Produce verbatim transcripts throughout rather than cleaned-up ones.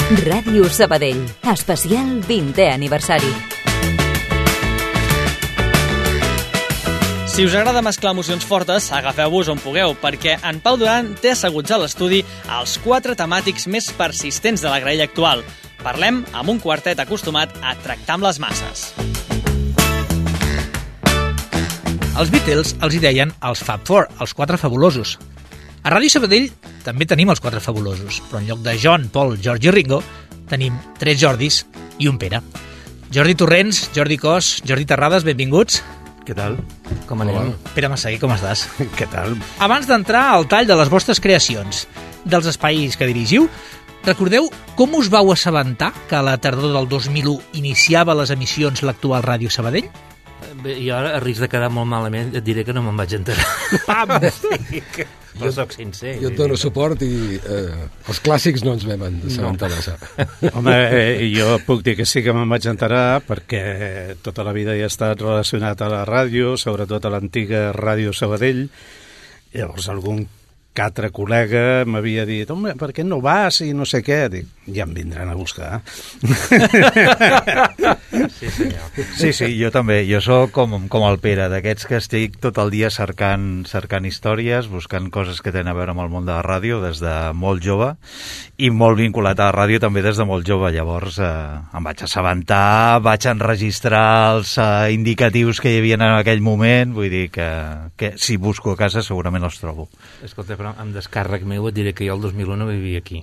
Ràdio Sabadell, especial vintè aniversari. Si us agrada mesclar emocions fortes, agafeu-vos on pugueu, perquè en Pau Duran té asseguts a l'estudi els quatre temàtics més persistents de la graella actual. Parlem amb un quartet acostumat a tractar amb les masses. Els Beatles els hi deien els Fab Four, els quatre fabulosos. A Ràdio Sabadell també tenim els quatre fabulosos, però en lloc de John, Paul, George i Ringo, tenim tres Jordis i un Pere. Jordi Torrents, Jordi Cos, Jordi Terrades, benvinguts. Què tal? Com anem? Pere Massaguer, com estàs? Què tal? Abans d'entrar al tall de les vostres creacions, dels espais que dirigiu, recordeu com us vau assabentar que a la tardor del dos mil u iniciava les emissions l'actual Ràdio Sabadell? Bé, jo ara, a risc de quedar molt malament, et diré que no me'n vaig enterar. Pam! Però soc sincer. Jo et dono suport i eh, els clàssics no ens vam assabentar massa. Home, eh, jo puc dir que sí que me'n vaig enterar perquè tota la vida he estat relacionat a la ràdio, sobretot a l'antiga Ràdio Sabadell. Llavors algun que altre col·lega m'havia dit, home, per què no vas i no sé què? Dic, ja em vindran a buscar. Sí, senyor. Sí, sí, jo també. Jo sóc com, com el Pere, d'aquests que estic tot el dia cercant, cercant històries, buscant coses que tenen a veure amb el món de la ràdio des de molt jove i molt vinculat a la ràdio també des de molt jove. Llavors eh, em vaig assabentar, vaig enregistrar els eh, indicatius que hi havia en aquell moment, vull dir que, que si busco a casa segurament els trobo. Escolta, però amb descàrrec meu et diré que jo el dos mil u no vivia aquí.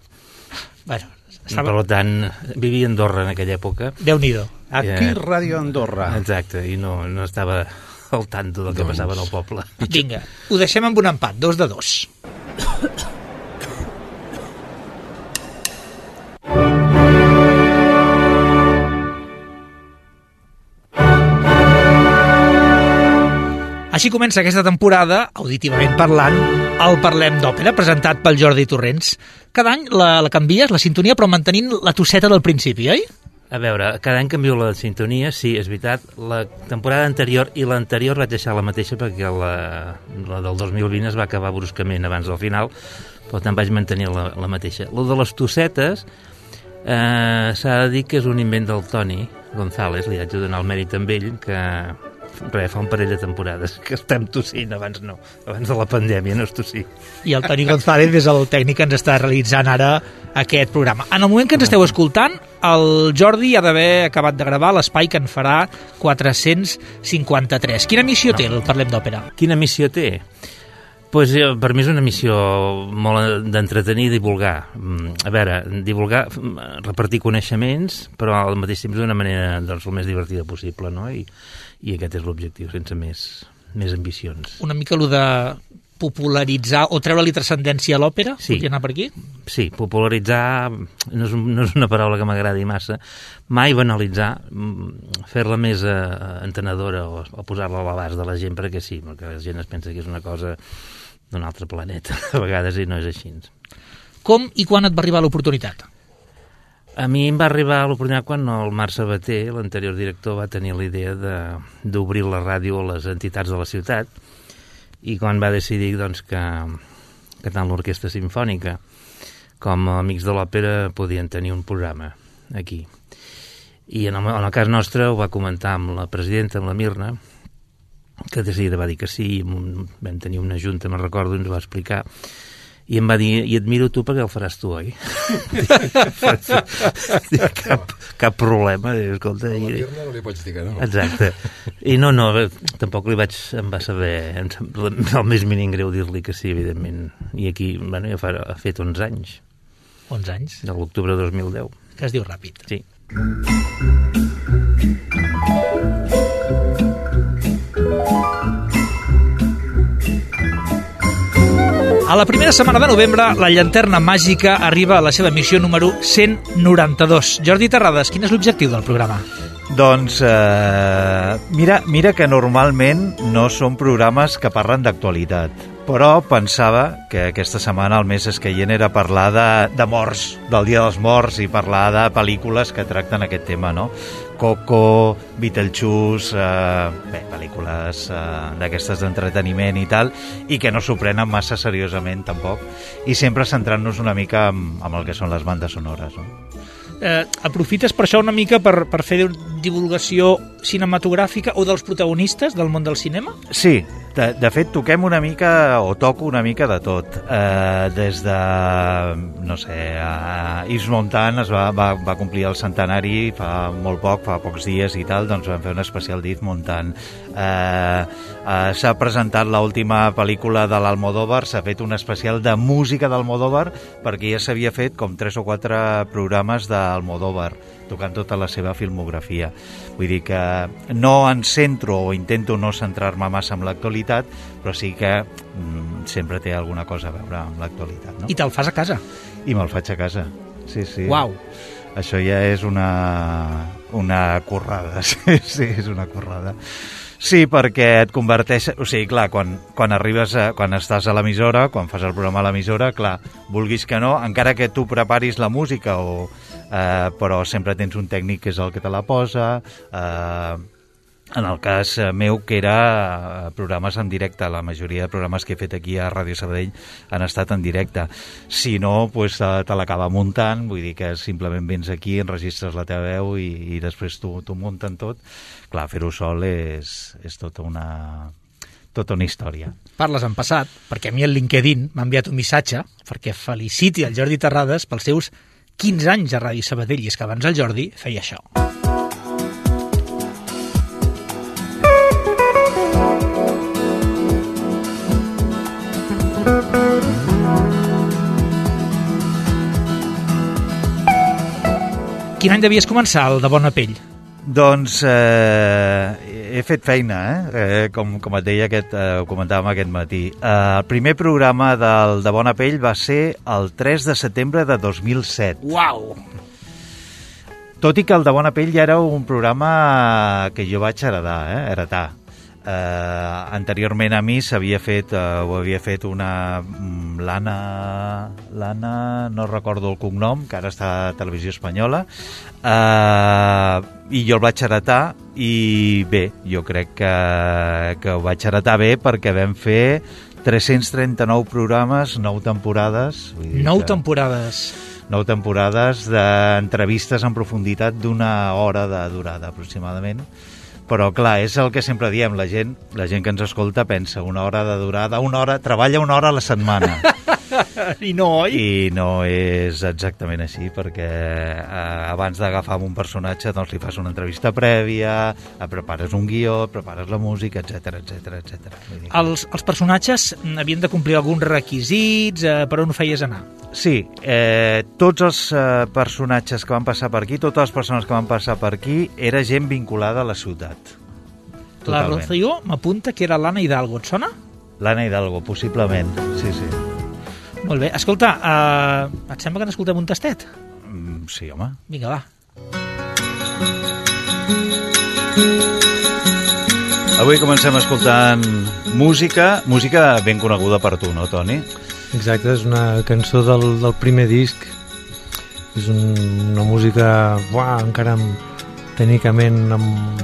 Bueno, estava... Per tant, vivia a Andorra en aquella època. Déu-n'hi-do. Aquí eh... Ràdio Andorra. Exacte, i no, no estava al tanto del que doncs... passava en el poble. Vinga, ho deixem amb un empat, dos de dos. Així comença aquesta temporada, auditivament parlant, el Parlem d'Òpera, presentat pel Jordi Torrents. Cada any la, la canvies, la sintonia, però mantenint la tosseta del principi, oi? A veure, cada any canvio la sintonia, sí, és veritat. La temporada anterior i l'anterior vaig deixar la mateixa perquè la, la del dos mil vint es va acabar bruscament abans del final, però tant vaig mantenir la, la mateixa. La de les tossetes eh, s'ha de dir que és un invent del Toni González, li haig de donar el mèrit amb ell, que... Res, fa un parell de temporades que estem tossint, abans no, abans de la pandèmia no es tossir. I el Toni González és el tècnic que ens està realitzant ara aquest programa. En el moment que ens esteu escoltant, el Jordi ha d'haver acabat de gravar l'espai que en farà quatre-cents cinquanta-tres. Quina missió té el Parlem d'Òpera? Quina missió té? Pues, per mi és una missió molt d'entretenir i divulgar. A veure, divulgar, repartir coneixements, però al mateix temps d'una manera doncs, el més divertida possible, no? I, i aquest és l'objectiu, sense més, més ambicions. Una mica allò de popularitzar o treure-li transcendència a l'òpera? Sí. Podria anar per aquí? Sí, popularitzar no és, no és una paraula que m'agradi massa. Mai banalitzar, fer-la més eh, entenedora o, o posar-la a l'abast de la gent, perquè sí, perquè la gent es pensa que és una cosa d'un altre planeta, a vegades, i no és així. Com i quan et va arribar l'oportunitat? A mi em va arribar l'oportunitat quan el Marc Sabater, l'anterior director, va tenir la idea d'obrir la ràdio a les entitats de la ciutat, i quan va decidir doncs, que, que tant l'Orquestra Simfònica com Amics de l'Òpera podien tenir un programa aquí. I en el, en el cas nostre ho va comentar amb la presidenta, amb la Mirna, que de seguida va dir que sí, vam tenir una junta, me'n recordo, ens va explicar, i em va dir, i et miro tu perquè el faràs tu, oi? cap, cap problema. Escolta, a la Mirna no li pots dir que no. Exacte. I no, no, tampoc li vaig, em va saber el més mínim greu dir-li que sí, evidentment. I aquí, bueno, ja fa, ha fet onze anys. onze anys? De l'octubre de dos mil deu. Que es diu ràpid. Sí. A la primera setmana de novembre, la Llanterna Màgica arriba a la seva missió número cent noranta-dos. Jordi Terrades, quin és l'objectiu del programa? Doncs eh, mira, mira que normalment no són programes que parlen d'actualitat, però pensava que aquesta setmana el més escaient era parlar de, de morts, del Dia dels Morts, i parlar de pel·lícules que tracten aquest tema, no? Coco, Beetlejuice, eh, bé, pel·lícules eh, d'aquestes d'entreteniment i tal, i que no s'ho prenen massa seriosament tampoc, i sempre centrant-nos una mica amb, amb el que són les bandes sonores, no? Eh, aprofites per això una mica per, per fer divulgació cinematogràfica o dels protagonistes del món del cinema? Sí, de, de fet toquem una mica o toco una mica de tot, eh, des de, no sé, a Yves Montand es va, va, va complir el centenari fa molt poc, fa pocs dies i tal, doncs vam fer un especial d'Yves Montand. Eh, eh, s'ha presentat l'última pel·lícula de l'Almodóvar, s'ha fet un especial de música d'Almodóvar, perquè ja s'havia fet com tres o quatre programes d'Almodóvar, tocant tota la seva filmografia. Vull dir que no em centro o intento no centrar-me massa en l'actualitat, però sí que mm, sempre té alguna cosa a veure amb l'actualitat, no? I te'l fas a casa? I me'l faig a casa, sí, sí. Uau! Això ja és una, una currada, sí, sí, és una currada. Sí, perquè et converteix... O sigui, clar, quan, quan arribes, a, quan estàs a l'emissora, quan fas el programa a l'emissora, clar, vulguis que no, encara que tu preparis la música, o, eh, però sempre tens un tècnic que és el que te la posa... Eh, en el cas meu, que era programes en directe, la majoria de programes que he fet aquí a Ràdio Sabadell han estat en directe. Si no, pues, te l'acaba muntant, vull dir que simplement vens aquí, enregistres la teva veu i, i després t'ho munten tot. Clar, fer-ho sol és, és tota una... tota una història. Parles en passat, perquè a mi el LinkedIn m'ha enviat un missatge perquè feliciti el Jordi Terrades pels seus quinze anys a Ràdio Sabadell, i és que abans el Jordi feia això. Quin any devies començar, el de Bona Pell? Doncs eh, he fet feina, eh? eh com, com et deia, aquest, eh, ho comentàvem aquest matí. Eh, el primer programa del de Bona Pell va ser el tres de setembre de dos mil set. Uau! Tot i que el de Bona Pell ja era un programa que jo vaig heredar, eh? heretar. Eh, anteriorment a mi s'havia fet, eh, ho havia fet una l'Anna, l'Anna, no recordo el cognom, que ara està a Televisió Espanyola, eh, i jo el vaig heretar, i bé, jo crec que, que ho vaig heretar bé perquè vam fer tres-cents trenta-nou programes, nou temporades. Vull dir nou que... temporades. nou temporades d'entrevistes en profunditat d'una hora de durada aproximadament. Però, clar, és el que sempre diem, la gent, la gent que ens escolta pensa una hora de durada, una hora, treballa una hora a la setmana. I no, oi? I no és exactament així, perquè eh, abans d'agafar un personatge doncs li fas una entrevista prèvia, prepares un guió, prepares la música, etcètera, etcètera, etcètera. Els, els personatges havien de complir alguns requisits, eh, per on ho feies anar? Sí, eh, tots els eh, personatges que van passar per aquí, totes les persones que van passar per aquí, era gent vinculada a la ciutat. Totalment. La Rocío m'apunta que era l'Anna Hidalgo, et sona? L'Anna Hidalgo, possiblement, sí, sí. Molt bé. Escolta, uh, et sembla que n'escoltem un tastet? Mm, sí, home. Vinga, va. Avui comencem escoltant música, música ben coneguda per tu, no, Toni? Exacte, és una cançó del, del primer disc. És un, una música, uah, encara amb, tècnicament, amb,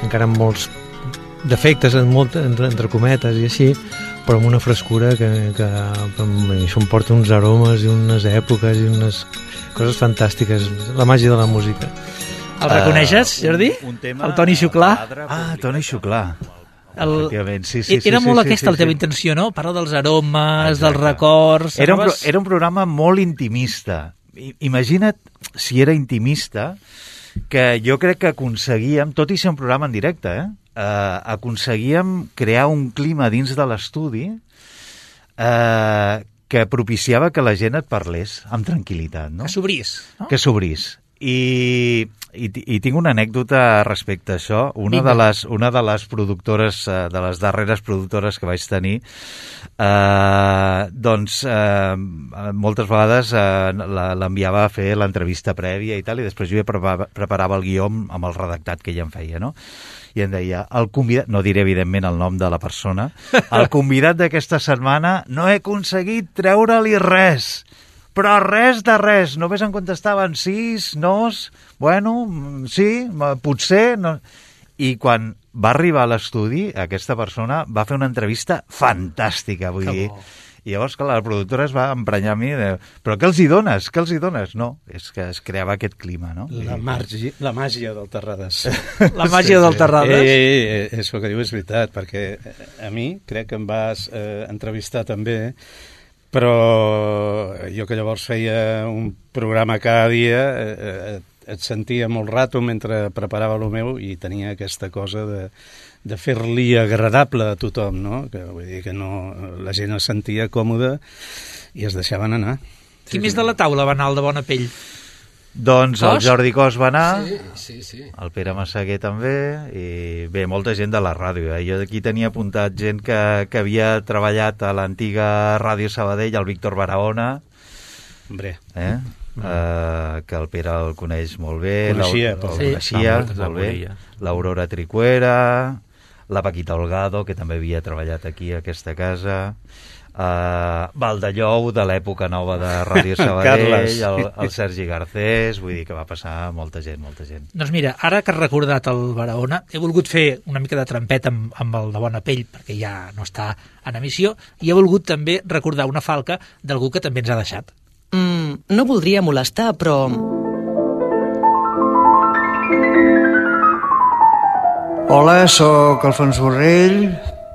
encara amb molts defectes, en molt, entre, entre cometes i així, però amb una frescura que, que això em porta uns aromes i unes èpoques i unes coses fantàstiques, la màgia de la música. El reconeixes, Jordi? Un, un tema... El Toni Xuclà? Ah, Toni Xuclà. El... Sí, sí, era sí, molt sí, aquesta sí, la teva sí. intenció, no? Parlar dels aromes, Exacte. dels records... Era un, pro, anaves... era un programa molt intimista. I, imagina't si era intimista, que jo crec que aconseguíem, tot i ser un programa en directe, eh? Uh, aconseguíem crear un clima dins de l'estudi uh, que propiciava que la gent et parlés amb tranquil·litat, no? Que s'obrís, no? Que s'obrís. I, i, I tinc una anècdota respecte a això. Una de les, una de les productores, de les darreres productores que vaig tenir, eh, doncs eh, moltes vegades eh, l'enviava a fer l'entrevista prèvia i tal, i després jo ja preparava, preparava el guió amb, amb el redactat que ella em feia, no? I em deia, el convidat, no diré evidentment el nom de la persona, el convidat d'aquesta setmana no he aconseguit treure-li res, però res de res, només em contestaven sis, nos, bueno, sí, potser... No. I quan va arribar a l'estudi, aquesta persona va fer una entrevista fantàstica, vull dir... I llavors, clar, la productora es va emprenyar a mi de, però què els hi dones? Què els hi dones? No, és que es creava aquest clima, no? La, margi, la màgia del Terrades. La màgia sí, del Terrades? Sí. Ei, ei, ei, és el que diu, és veritat, perquè a mi crec que em vas eh, entrevistar també, però jo que llavors feia un programa cada dia, eh, et sentia molt rato mentre preparava el meu i tenia aquesta cosa de... de fer-li agradable a tothom, no? Que, vull dir que no, la gent es sentia còmoda i es deixaven anar. Qui sí, més de la taula va anar al de Bona Pell? Doncs Cos? El Jordi Cos va anar, sí, sí, sí. El Pere Massaguer també, i bé, molta gent de la ràdio. Eh? Jo aquí tenia apuntat gent que, que havia treballat a l'antiga Ràdio Sabadell, el Víctor Barahona, Hombre. Eh? Mm. Uh, que el Pere el coneix molt bé, coneixia, el, el sí. coneixia sí, molt bé, l'Aurora Tricuera, la Paquita Holgado, que també havia treballat aquí a aquesta casa, uh, Valdellou, de l'època nova de Ràdio Sabadell, el, el Sergi Garcés, vull dir que va passar molta gent, molta gent. Doncs mira, ara que has recordat el Barahona, he volgut fer una mica de trampeta amb, amb el de Bona Pell, perquè ja no està en emissió, i he volgut també recordar una falca d'algú que també ens ha deixat. Mm, no voldria molestar, però... Hola, sóc Alfons Borrell,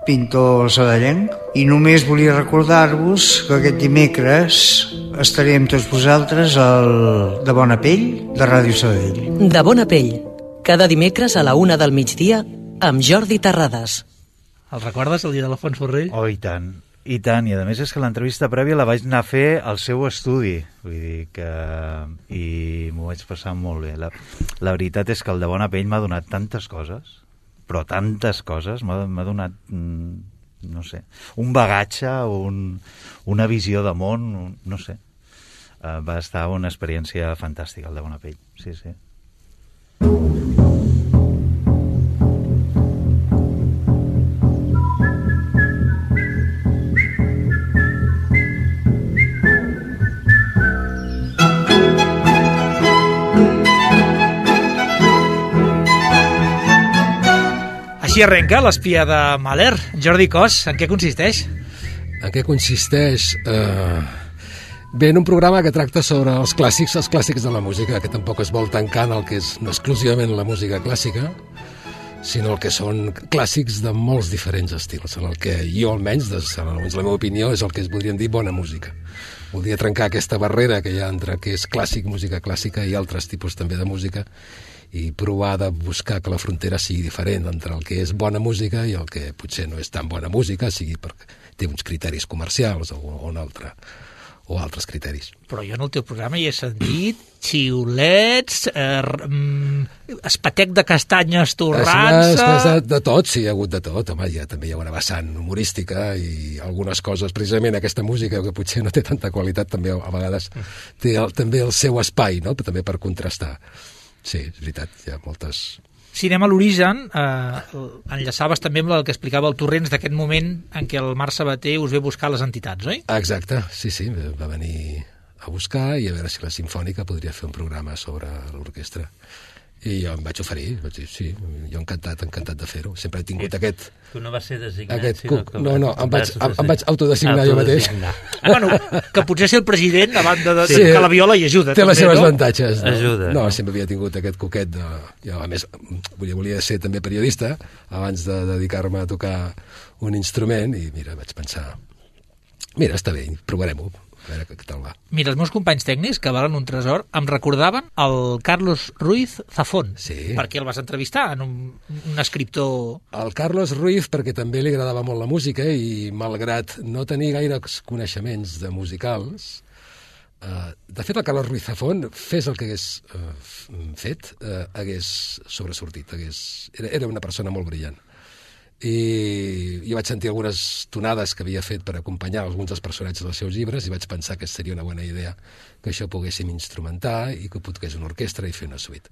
pintor sadellenc, i només volia recordar-vos que aquest dimecres estaré amb tots vosaltres al De Bona Pell, de Ràdio Sabadell. De Bona Pell, cada dimecres a la una del migdia, amb Jordi Terrades. El recordes, el dia de l'Alfons Borrell? Oh, i tant. I tant, i a més és que l'entrevista prèvia la vaig anar a fer al seu estudi, vull dir que... i m'ho vaig passar molt bé. La, la veritat és que el De Bona Pell m'ha donat tantes coses, però tantes coses, m'ha donat, no sé, un bagatge, un, una visió de món, no sé. Uh, va estar una experiència fantàstica, el De Bona Pell, sí, sí. Així arrenca l'espia de Mahler. Jordi Cos, en què consisteix? En què consisteix? Uh, bé, en un programa que tracta sobre els clàssics, els clàssics de la música, que tampoc es vol tancar en el que és no exclusivament la música clàssica, sinó el que són clàssics de molts diferents estils, en el que jo almenys, des, almenys la meva opinió, és el que es podríem dir bona música. Voldria trencar aquesta barrera que hi ha entre què és clàssic, música clàssica, i altres tipus també de música, i provar de buscar que la frontera sigui diferent entre el que és bona música i el que potser no és tan bona música, sigui perquè té uns criteris comercials o, o, un altre, o altres criteris. Però jo en el teu programa hi he sentit xiulets, eh, espatec de castanyes torrant-se... De tot, sí, hi ha hagut de tot. Home, ja, també hi ha una vessant humorística i algunes coses, precisament aquesta música que potser no té tanta qualitat, també a vegades té el, també el seu espai, no? També per contrastar. Sí, és veritat, hi ha moltes... Si anem a l'origen, eh, enllaçaves també amb el que explicava el Torrents d'aquest moment en què el Marc Sabater us ve buscar les entitats, oi? Exacte, sí, sí, va venir a buscar i a veure si la Simfònica podria fer un programa sobre l'orquestra. I jo em vaig oferir, vaig dir, sí, jo encantat, encantat de fer-ho. Sempre he tingut I aquest... Tu no vas ser designat, aquest sinó cuc. No, no, em vaig, em, em vaig autodesignar jo mateix. Bueno, que potser ser el president, a banda de sí, que la viola hi ajuda. Té també, les seves no? avantatges. No? Ajuda. No, sempre havia tingut aquest coquet de... Jo, a més, volia, volia ser també periodista abans de dedicar-me a tocar un instrument i, mira, vaig pensar... Mira, està bé, provarem-ho. A veure què tal va. Mira, els meus companys tècnics, que valen un tresor, em recordaven el Carlos Ruiz Zafón. Sí. Perquè el vas entrevistar, en un, un escriptor... El Carlos Ruiz, perquè també li agradava molt la música i, malgrat no tenir gaires coneixements de musicals, eh, de fet, el Carlos Ruiz Zafón, fes el que hagués eh, fet, eh, hagués sobresortit. Hagués... Era, era una persona molt brillant. I jo vaig sentir algunes tonades que havia fet per acompanyar alguns dels personatges dels seus llibres i vaig pensar que seria una bona idea que això poguéssim instrumentar i que pogués una orquestra i fer una suite.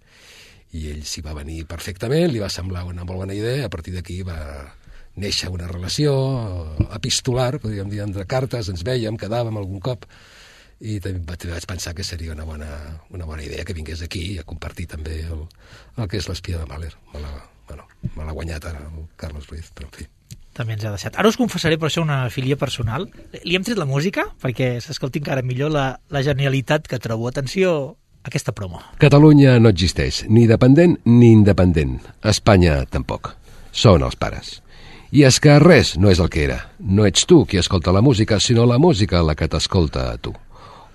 I ell s'hi va venir perfectament, li va semblar una molt bona idea, a partir d'aquí va néixer una relació epistolar, podríem dir, entre cartes, ens vèiem, quedàvem algun cop i també vaig pensar que seria una bona, una bona idea que vingués aquí a compartir també el, el que és l'espia de Mahler. Me l'ha bueno, me l'ha guanyat ara el Carlos Ruiz, però en fi. També ens ha deixat. Ara us confessaré, per això, una filia personal. Li hem tret la música perquè s'escolti encara millor la, la genialitat que trobo. Atenció, aquesta promo. Catalunya no existeix, ni dependent ni independent. Espanya tampoc. Són els pares. I és que res no és el que era. No ets tu qui escolta la música, sinó la música la que t'escolta a tu.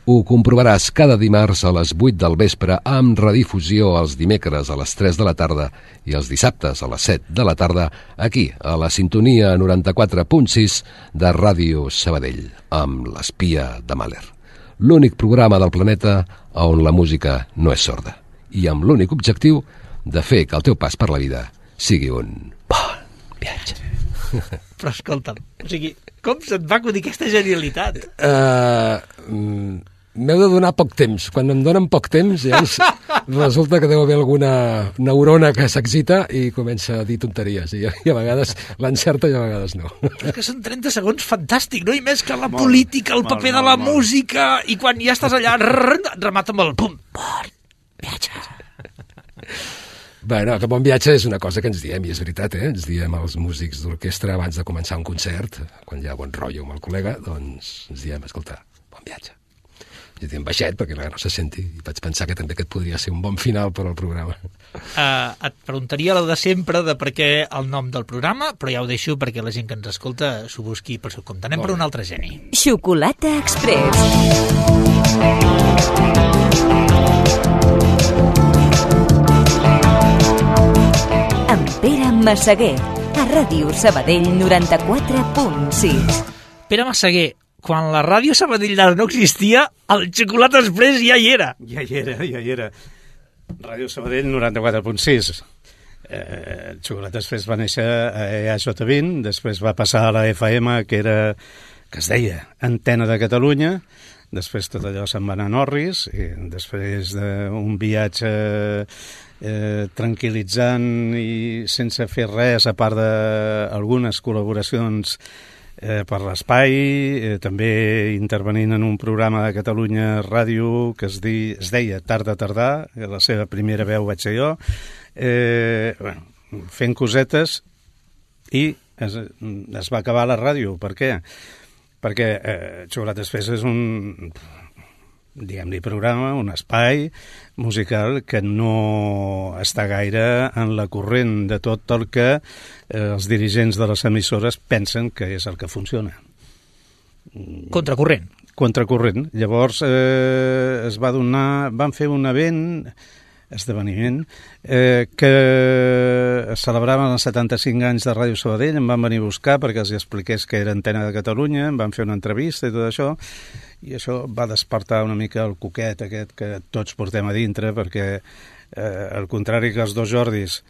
Ho comprovaràs cada dimarts a les vuit del vespre amb redifusió els dimecres a les tres de la tarda i els dissabtes a les set de la tarda aquí, a la sintonia noranta-quatre punt sis de Ràdio Sabadell, amb l'espia de Mahler. L'únic programa del planeta on la música no és sorda i amb l'únic objectiu de fer que el teu pas per la vida sigui un bon viatge. Però escolta'm, o sigui, com se't va acudir aquesta genialitat? Uh, M'heu de donar poc temps. Quan em donen poc temps, ja resulta que deu haver alguna neurona que s'excita i comença a dir tonteries. I, i a vegades l'encerta i a vegades no. És que són trenta segons fantàstic, no? I més que la molt, política, el molt, paper molt, de la molt, música, i quan ja estàs allà, rrr, remata amb el pum. Bon viatge. Bueno, que bon viatge és una cosa que ens diem, i és veritat, eh? Ens diem als músics d'orquestra abans de començar un concert, quan hi ha bon rotllo amb el col·lega, doncs ens diem, escolta, bon viatge. Jo diem baixet perquè no se senti, i vaig pensar que també aquest podria ser un bon final per al programa. Uh, et preguntaria la de sempre de per què el nom del programa, però ja ho deixo perquè la gent que ens escolta s'ho busqui per seu compte. Anem per un altre geni. Xocolata Express. Amb Pere Massaguer, a Ràdio Sabadell noranta-quatre punt sis. Pere Massaguer, quan la Ràdio Sabadell no existia, el Xocolata Express ja hi era. Ja hi era, ja hi era. Ràdio Sabadell noranta-quatre punt sis. Eh, el Xocolata Express va néixer a E A J vint, després va passar a la F M, que era que es deia Antena de Catalunya, després tot allò se'n va anar a Norris, i després d'un viatge eh, tranquil·litzant i sense fer res, a part d'algunes col·laboracions Eh, per l'espai, eh, també intervenint en un programa de Catalunya Ràdio que es, di, es deia Tarda Tardà, que la seva primera veu vaig ser jo, eh, bueno, fent cosetes, i es, es va acabar la ràdio. Per què? Perquè eh, Xocolata Express és un, diguem-li, programa, un espai musical que no està gaire en la corrent de tot el que eh, els dirigents de les emissores pensen que és el que funciona. Contracorrent. Contracorrent. Llavors eh, es va donar, van fer un event, esdeveniment, eh, que celebraven els setanta-cinc anys de Ràdio Sabadell, em van venir a buscar perquè els expliqués que era Antena de Catalunya, em van fer una entrevista i tot això, i això va despertar una mica el coquet aquest que tots portem a dintre, perquè eh, al contrari que els dos Jordis,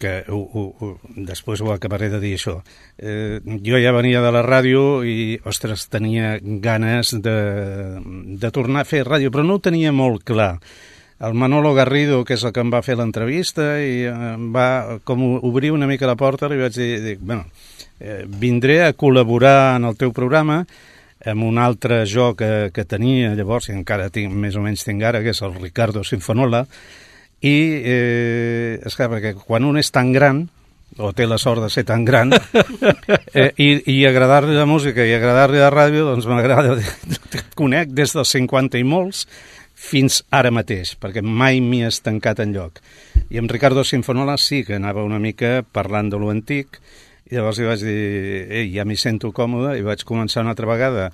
que ho, ho, ho, després ho acabaré de dir això, eh, jo ja venia de la ràdio i, ostres, tenia ganes de, de tornar a fer ràdio, però no ho tenia molt clar. El Manolo Garrido, que és el que em va fer l'entrevista, i em va com obrir una mica la porta, i vaig dir, dic, bueno, eh, vindré a col·laborar en el teu programa amb un altre jo que, que tenia llavors, i encara tinc, més o menys tinc ara, que és el Ricardo Sinfonola, i eh, és clar, perquè quan un és tan gran, o té la sort de ser tan gran, eh, i, i agradar-li la música i agradar-li la ràdio, doncs m'agrada, te conec des dels cinquanta i molts, fins ara mateix, perquè mai m'hi he estancat enlloc. I amb Ricardo Sinfonola sí que anava una mica parlant de lo antic, i llavors li vaig dir, ei, ja m'hi sento còmode, i vaig començar una altra vegada,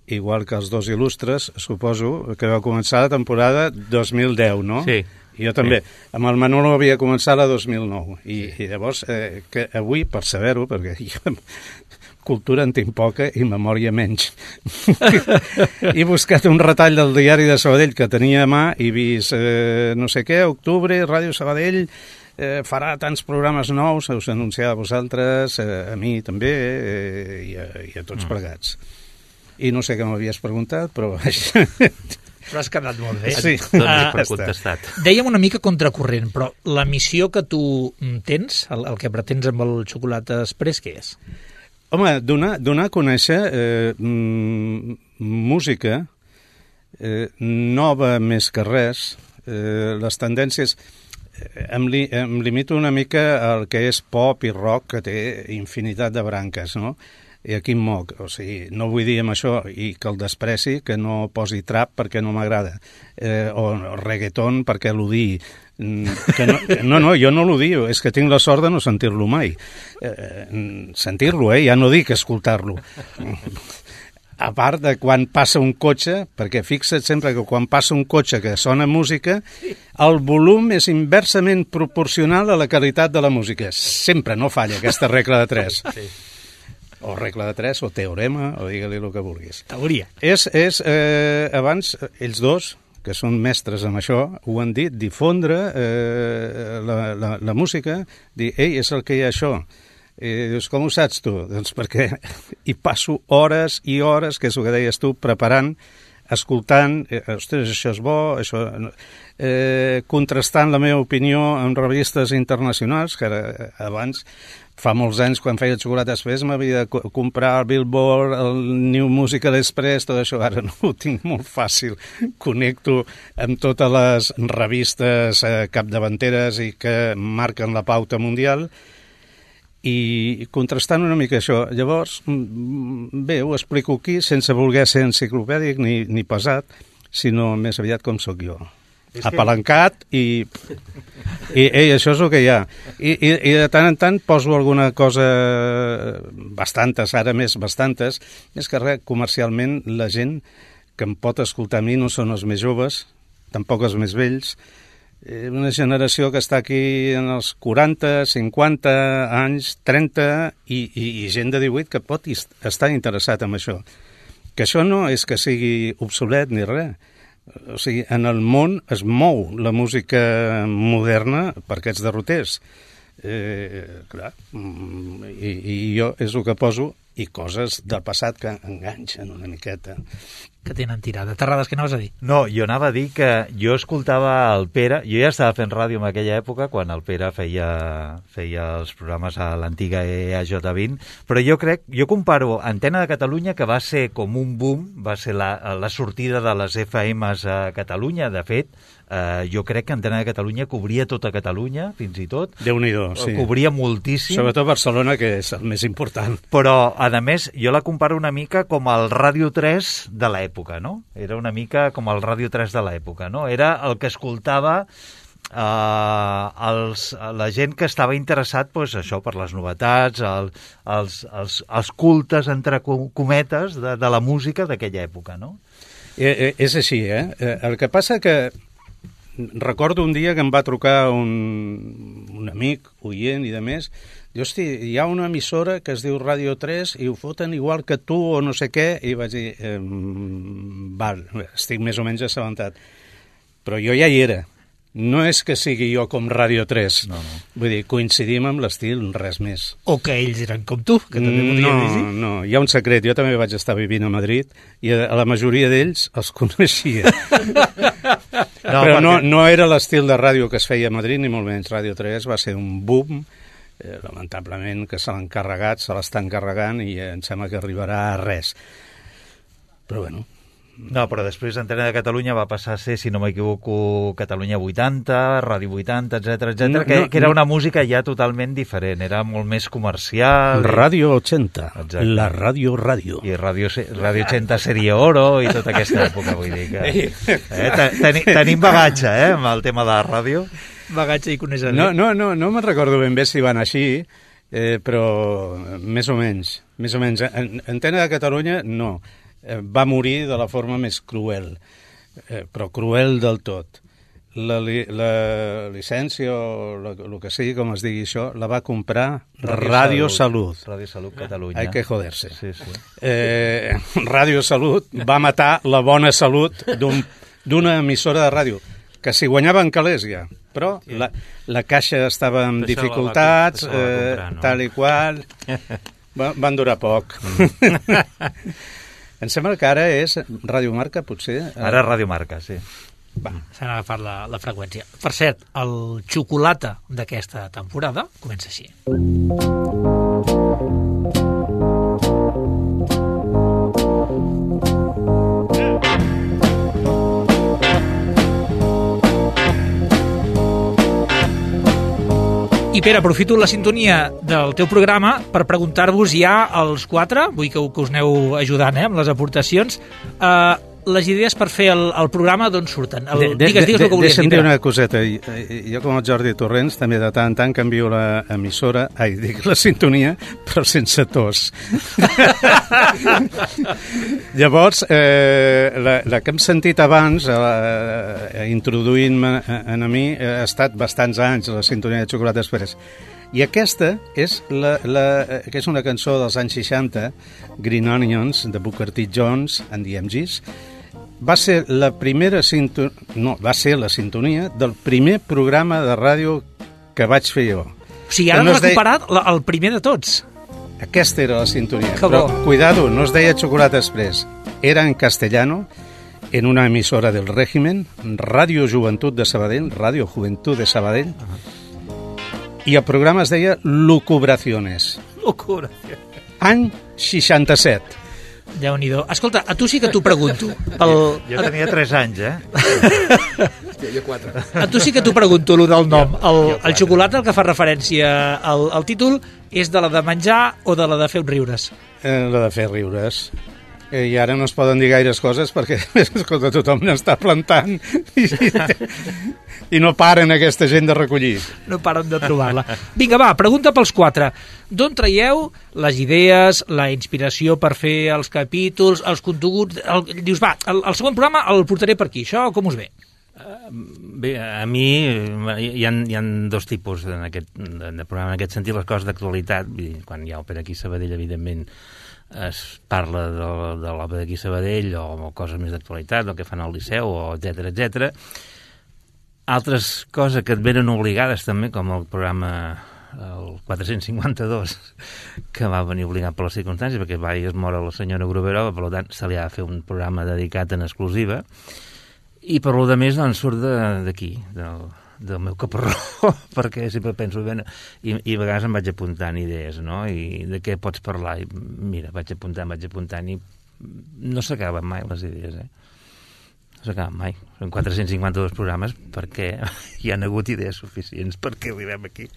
igual que els dos il·lustres, suposo, que va començar la temporada dos mil deu, no? Sí. I jo també. Sí. Amb el Manolo havia començat la dos mil nou, i, i llavors, eh, que avui, per saber-ho, perquè jo, cultura en tinc poca i memòria menys. He buscat un retall del diari de Sabadell que tenia a mà i vist eh, no sé què, octubre, Ràdio Sabadell eh, farà tants programes nous, us anunciava a vosaltres, eh, a mi també, eh, i, a, i a tots mm. plegats. I no sé què m'havies preguntat, però... Però has quedat molt bé. Sí. Doncs uh, contestat. Dèiem una mica contracorrent, però la missió que tu tens, el, el que pretens amb el Xocolata Express, què és? Home, donar, donar a conèixer eh, música eh, nova més que res. Eh, les tendències... Em, li, em limito una mica al que és pop i rock, que té infinitat de branques, no? I aquí em moc. O sigui, no vull dir amb això i que el despreci, que no posi trap perquè no m'agrada, eh, o reggaeton perquè l'odiï. Que no, no, no, jo no l'odio, és que tinc la sort de no sentir-lo mai. Eh, sentir-lo, eh? Ja no dic escoltar-lo. A part de quan passa un cotxe, perquè fixa't sempre que quan passa un cotxe que sona música, el volum és inversament proporcional a la qualitat de la música. Sempre, no falla aquesta regla de tres. Sí. O regla de tres, o teorema, o digue-li el que vulguis. Teoria. És, és eh, abans, ells dos, que són mestres amb això, ho han dit, difondre eh, la, la, la música, dir, ei, és el que hi ha això. I dius, com ho saps tu? Doncs perquè hi passo hores i hores, que és el que deies tu, preparant, escoltant, eh, ostres, això és bo, això... Eh, contrastant la meva opinió amb revistes internacionals, que ara, abans, fa molts anys, quan feia Xocolata Express, m'havia de co comprar el Billboard, el New Musical Express, tot això, ara no ho tinc molt fàcil. Connecto amb totes les revistes eh, capdavanteres i que marquen la pauta mundial, i contrastant una mica això. Llavors, bé, ho explico aquí sense voler ser enciclopèdic ni, ni pesat, sinó més aviat com sóc jo. Apalancat i, i ei, això és el que hi ha. I, i, i de tant en tant poso alguna cosa, bastantes, ara més bastantes, més que res, comercialment, la gent que em pot escoltar a mi no són els més joves, tampoc els més vells, una generació que està aquí en els quaranta, cinquanta anys, trenta, i, i, i gent de divuit que pot estar interessat en això. Que això no és que sigui obsolet ni res. O sigui, en el món es mou la música moderna per aquests derroters. Eh, clar, i, i jo és el que poso, i coses del passat que enganxen una miqueta. Que tenen tirada. Terrades, què anaves a dir? No, jo anava a dir que jo escoltava el Pere, jo ja estava fent ràdio en aquella època, quan el Pere feia, feia els programes a l'antiga E A J vint, però jo crec, jo comparo Antena de Catalunya, que va ser com un boom, va ser la, la sortida de les F Ms a Catalunya, de fet, eh, jo crec que Antena de Catalunya cobria tota Catalunya, fins i tot. Déu-n'hi-do, sí. Cobria moltíssim. Sobretot Barcelona, que és el més important. Però, a més, jo la comparo una mica com el Ràdio tres de l'època, no? Era una mica com el Ràdio tres de l'època, no? Era el que escoltava eh, els, la gent que estava interessat, pues, això, per les novetats, el, els, els, els cultes, entre cometes, de, de la música d'aquella època, no? Eh, eh, és així, eh? El que passa que recordo un dia que em va trucar un, un amic, oient i de més, diu, hosti, hi ha una emissora que es diu Ràdio tres i ho foten igual que tu o no sé què, i vaig dir, eh, val, estic més o menys assabentat. Però jo ja hi era. No és que sigui jo com Ràdio tres. No, no. Vull dir, coincidim amb l'estil, res més. O que ells eren com tu, que també podien no, dir. No, hi ha un secret. Jo també vaig estar vivint a Madrid i a la majoria d'ells els coneixia. no, Però no, no era l'estil de ràdio que es feia a Madrid, ni molt menys. Ràdio tres va ser un boom, eh, lamentablement, que se l'han carregat, se l'estan carregant i em sembla que arribarà a res. Però bueno... No, però després Antena de Catalunya va passar a ser, si no m'equivoco, Catalunya vuitanta, Ràdio vuitanta, etcètera, etcètera, no, que, no, que era una música ja totalment diferent, era molt més comercial. Ràdio ochenta, exacte. La Ràdio Ràdio. I Ràdio, Ràdio ochenta seria oro i tota aquesta època, vull dir que... Eh, ten, tenim bagatge, eh, amb el tema de la ràdio. Bagatge i coneixement. No, no, no, no me'n recordo ben bé si van així, eh, però més o menys, més o menys. Antena de Catalunya, no. Va morir de la forma més cruel, eh, però cruel del tot. La, li, la llicència o el que sigui, com es digui això, la va comprar Ràdio, Ràdio Salut. Ràdio Salut Catalunya. Hay que joderse. Sí, sí. Eh, Ràdio Salut va matar la bona salut d'una un, emissora de ràdio, que s'hi guanyaven calés ja, però sí. la, la caixa estava amb això dificultats, va, eh, comprar, no? Tal i qual, va, van durar poc. Mm. Em sembla que ara és Ràdio Marca, potser? Ara Ràdio Marca, sí. Va, s'han agafat la, la freqüència. Per cert, el xocolata d'aquesta temporada comença així. I Pere, aprofito la sintonia del teu programa per preguntar-vos ja als quatre, vull que, que us aneu ajudant eh, amb les aportacions, eh, les idees per fer el, el programa d'on surten? El, de, digues, digues el que volies Deixa'm dir. dir una coseta. Jo, com el Jordi Torrents, també de tant en tant canvio l'emissora, ai, dic la sintonia, però sense tos. Llavors, eh, la, la que hem sentit abans, eh, introduint-me en a mi, ha estat bastants anys, la sintonia de Xocolata Express. I aquesta és, la, la, que és una cançó dels anys seixanta, Green Onions, de Booker T. Jones and the M Gs. Va ser la primera sintonia, no, va ser la sintonia del primer programa de ràdio que vaig fer jo. O sigui, ara no has recuperat deia... el primer de tots. Aquesta era la sintonia. Que Però, bo. cuidado, no es deia Chocolate Express. Era en castellano, en una emissora del régimen, Ràdio Joventut de Sabadell, Ràdio Joventut de Sabadell, i el programa es deia Lucubraciones. Lucubraciones. Any seixanta-set. Déu-n'hi-do. Escolta, a tu sí que t'ho pregunto. Pel... Jo tenia tres anys, eh? Hòstia, jo quatre. A tu sí que t'ho pregunto, allò del nom. El, el xocolata, el que fa referència al, al títol, és de la de menjar o de la de fer riures? Eh, la de fer riures. Eh, I ara no es poden dir gaires coses perquè, escolta, tothom n'està plantant i, i no paren aquesta gent de recollir. No paren de trobar-la. Vinga, va, pregunta pels quatre. D'on traieu les idees, la inspiració per fer els capítols, els continguts... El, dius, va, el, el segon programa el portaré per aquí. Això com us ve? Bé, a mi hi ha, hi ha dos tipus en aquest, de programa, en aquest sentit, les coses d'actualitat. Quan hi ha òpera aquí a Sabadell, evidentment, es parla de, de l'òpera d'aquí a Sabadell o coses més d'actualitat, el que fan al Liceu, etcètera, etcètera. Altres coses que et venen obligades també, com el programa el quatre-cents cinquanta-dos, que va venir obligat per les circumstàncies, perquè va i es mor la senyora Gruberova, per tant se li ha de fer un programa dedicat en exclusiva, i per lo de més doncs, surt d'aquí, del, del meu caparró, perquè sempre penso, bé, i, i a vegades em vaig apuntant idees, no?, i de què pots parlar, i mira, vaig apuntant, vaig apuntant, i no s'acaben mai les idees, eh? No s'acaben mai. Són quatre-cents cinquanta-dos programes perquè hi han hagut idees suficients perquè arribem aquí.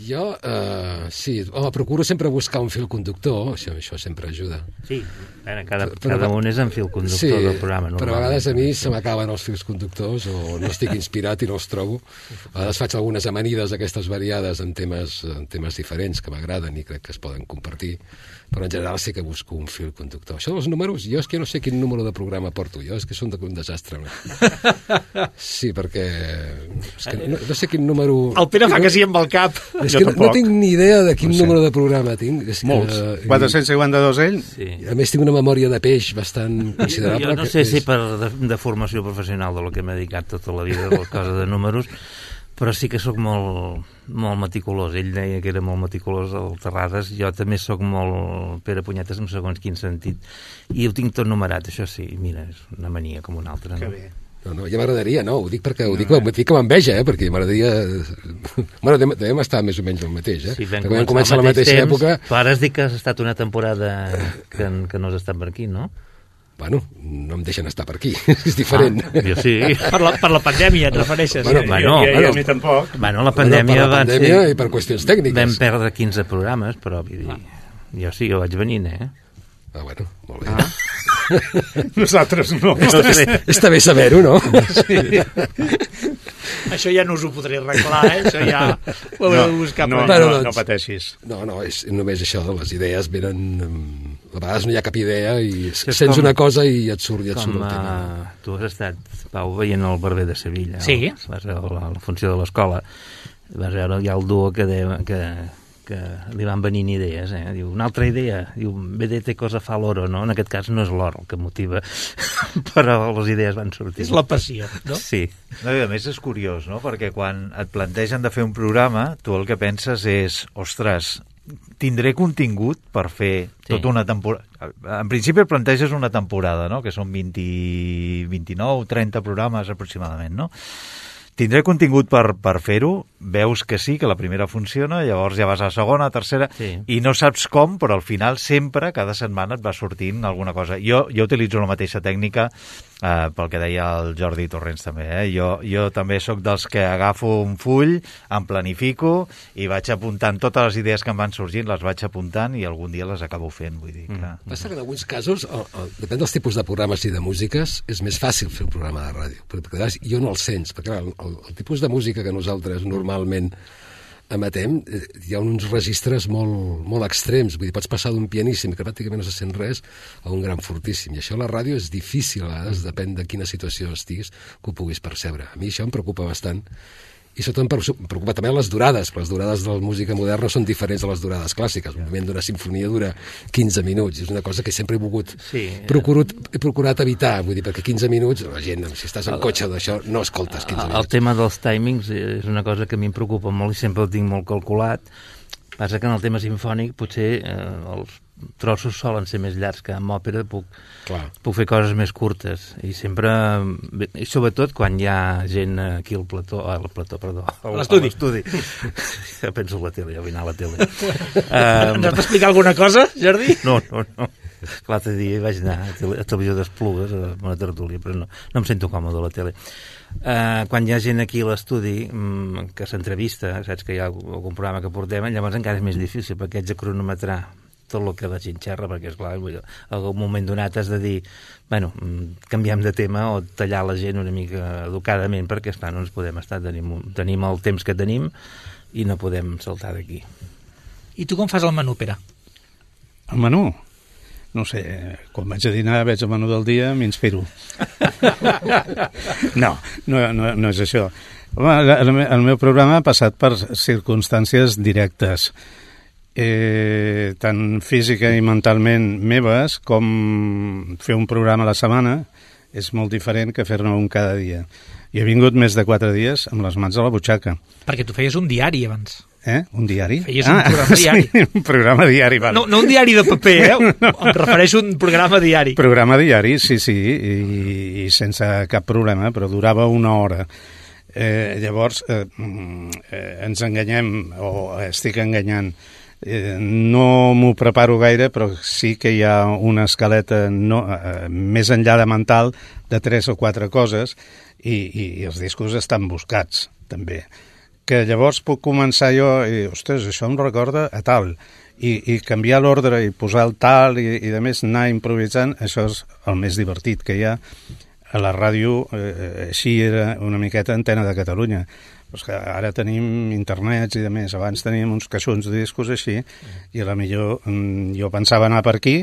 Jo, eh, sí, home, procuro sempre buscar un fil conductor, això, això sempre ajuda. Sí, bueno, cada, però, cada un és en fil conductor sí, del programa. Però a vegades a mi se m'acaben els fils conductors o no estic inspirat i no els trobo. A vegades faig algunes amanides aquestes variades en temes, en temes diferents que m'agraden i crec que es poden compartir, però en general sí que busco un fil conductor. Això dels números, jo és que no sé quin número de programa porto, jo és que són un desastre. Sí, perquè és que no, no sé quin número... El Pere fa que sí amb el cap. És que no, no tinc ni idea de quin no sé. número de programa tinc. És Molts. Que, quatre-cents cinquanta-dos ell? Sí. A més tinc una memòria de peix bastant considerable. Jo no sé si per de, de formació professional de lo que m'he dedicat tota la vida, les coses de números, però sí que sóc molt, molt meticulós. Ell deia que era molt meticulós al Terrades, jo també sóc molt Pere Punyetes en segons quin sentit, i ho tinc tot numerat, això sí, mira, és una mania com una altra. Que no? bé. No, no, ja m'agradaria, no, ho dic perquè ho dic, no, dic que m'enveja, eh, perquè m'agradaria... Bueno, devem estar més o menys el mateix, eh? Sí, vam perquè vam començar començar la mateixa temps, època... Però ara has dit que has estat una temporada que, que no has estat per aquí, no? Bueno, no em deixen estar per aquí, és diferent. Ah, jo sí. Per la, per la pandèmia et refereixes? Bueno, bueno, I, i, bueno, i a mi tampoc. Bueno, la pandèmia, bueno, per la pandèmia va ser... i per qüestions tècniques. Vam perdre quinze programes, però vull dir, ah. jo sí, jo vaig venint, eh? Ah, bueno, molt bé. Ah. Nosaltres no. Està, està, està bé saber-ho, no? Sí. Això ja no us ho podré arreglar, eh? Això ja ho haureu de buscar. No, per no, allà. no, no pateixis. No, no, és només això, les idees venen... A vegades no hi ha cap idea i És sents com- una cosa i et surt, i et surt Com el tema. uh, tu has estat, Pau, veient el Barber de Sevilla. Sí. El, vas veure la, la funció de l'escola. Vas veure ja el duo que, de, que, que li van venint idees, eh? Diu, una altra idea, diu, vedete cosa fa l'oro, no? En aquest cas no és l'or el que motiva, però les idees van sortir. És la passió, no? Sí. No, i a més és curiós, no? Perquè quan et plantegen de fer un programa, tu el que penses és, ostres, tindré contingut per fer Sí. tota una temporada. En principi el planteges una temporada, no? Que són vint, vint-i-nou, trenta programes aproximadament, no? tindré contingut per, per fer-ho, veus que sí, que la primera funciona, llavors ja vas a la segona, a la tercera, sí. I no saps com, però al final sempre, cada setmana et va sortint alguna cosa. Jo, jo utilitzo la mateixa tècnica, eh, pel que deia el Jordi Torrents també, eh? jo, jo també sóc dels que agafo un full, em planifico i vaig apuntant totes les idees que em van sorgint, les vaig apuntant i algun dia les acabo fent, vull dir que... Mm. Passa que en alguns casos, el, el, depèn dels tipus de programes i de músiques, és més fàcil fer un programa de ràdio, perquè jo no el sents, perquè el, el, el tipus de música que nosaltres normalment emetem, hi ha uns registres molt, molt extrems, vull dir, pots passar d'un pianíssim que pràcticament no se sent res a un gran fortíssim, i això a la ràdio és difícil, a vegades depèn de quina situació estiguis, que ho puguis percebre. A mi això em preocupa bastant, i sobretot em preocupa també les durades, perquè les durades de la música moderna són diferents de les durades clàssiques. Un moment d'una sinfonia dura quinze minuts, és una cosa que sempre he volgut, sí, procurat, he procurat evitar, vull dir, perquè quinze minuts, la gent, si estàs en cotxe d'això, no escoltes quinze minuts. El tema dels timings és una cosa que a mi em preocupa molt i sempre el tinc molt calculat. Passa que en el tema sinfònic potser eh, els trossos solen ser més llargs que en òpera, puc, puc fer coses més curtes i sempre, i sobretot quan hi ha gent aquí al plató, al plató, perdó, a l'estudi. Ja penso a la tele, ja vull anar a la tele. um, Ens has d'explicar alguna cosa, Jordi? No, no, no. L'altre dia vaig anar a, tele, a Televisió d'Esplugues, a una tertúlia, però no, no em sento còmode a la tele. Uh, quan hi ha gent aquí a l'estudi um, que s'entrevista, saps que hi ha algun programa que portem, llavors encara és més difícil, perquè haig de cronometrar tot el que la gent xerra, perquè esclar, en algun moment donat has de dir, bueno, canviem de tema o tallar la gent una mica educadament, perquè esclar, no ens podem estar, tenim, tenim el temps que tenim i no podem saltar d'aquí. I tu com fas el menú, Pere? El menú? No sé, quan vaig a dinar, veig el menú del dia, m'inspiro. no, no, no, no és això. Home, el, el meu programa ha passat per circumstàncies directes, eh, tant física i mentalment meves, com fer un programa a la setmana és molt diferent que fer-ne un cada dia. I he vingut més de quatre dies amb les mans a la butxaca. Perquè tu feies un diari abans. Eh? Un diari? Feies un ah, programa diari. Sí, un programa diari, vale. No, no un diari de paper, eh? No. Em refereixo a un programa diari. Programa diari, sí, sí, i, i sense cap problema, però durava una hora. Eh, llavors, eh, eh, ens enganyem, o estic enganyant. Eh, no m'ho preparo gaire, però sí que hi ha una escaleta no, eh, més enllà de mental de tres o quatre coses i, i, i els discos estan buscats, també. Que llavors puc començar jo i, ostres, això em recorda a tal, i, i canviar l'ordre i posar el tal i, i de més anar improvisant, això és el més divertit que hi ha a la ràdio. Eh, així era una miqueta Antena de Catalunya. Pues que ara tenim internets i de més, abans teníem uns caixons de discos així i a la millor jo pensava anar per aquí